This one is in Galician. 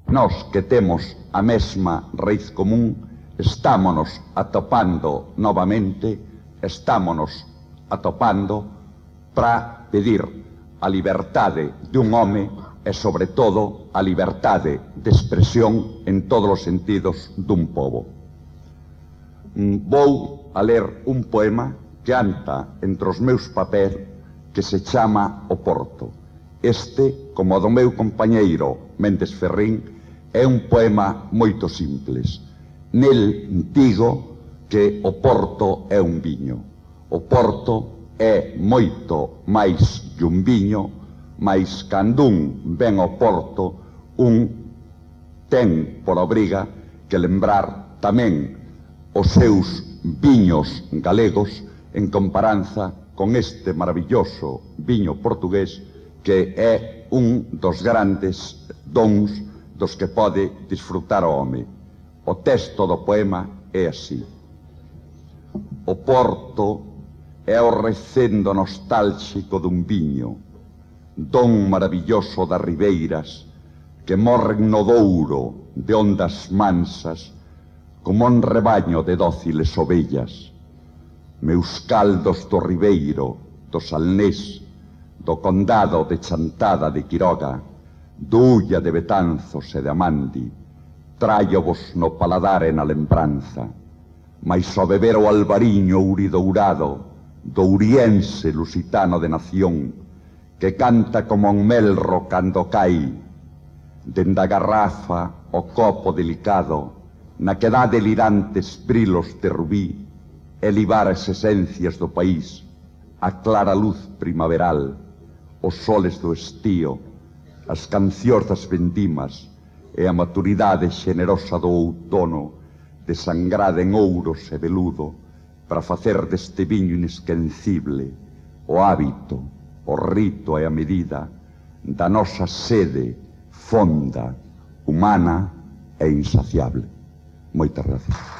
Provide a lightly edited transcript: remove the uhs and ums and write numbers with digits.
Nós que temos a mesma raíz común, estámonos atopando novamente, estámonos atopando para pedir a liberdade de un home e, sobre todo, a liberdade de expresión en todos os sentidos dun pobo. Vou a ler un poema que anta entre os meus papéis que se chama O Porto. Este, como o do meu compañeiro Méndez Ferrín, é un poema moito simples. Nel digo que o Porto é un viño. O Porto é moito máis que un viño, mas cando un ven ao Porto, un ten por obriga que lembrar tamén os seus viños galegos en comparanza con este maravilloso viño portugués que é un dos grandes dons dos que pode disfrutar o home. O texto do poema é así: o Porto é o recendo nostálxico dun viño, don maravilloso das ribeiras que morren no Douro de ondas mansas como un rebaño de dóciles ovellas. Meus caldos do Ribeiro, do Salnés, do condado de Chantada de Quiroga, do Ulla de Betanzos e de Amandi, traio-vos no paladar e na lembranza, mais ao beber o albariño uridourado do uriense lusitano de nación, que canta como un melro cando cai, dende a garrafa o copo delicado, na que dá delirantes brilos de rubí, e libar as esencias do país, a clara luz primaveral, os soles do estío, as cancións das vendimas e a maturidade xenerosa do outono, desangrada en ouros e veludo, para facer deste viño inesquecible o hábito, o rito e a medida da nosa sede fonda, humana e insaciable. Moitas gracias.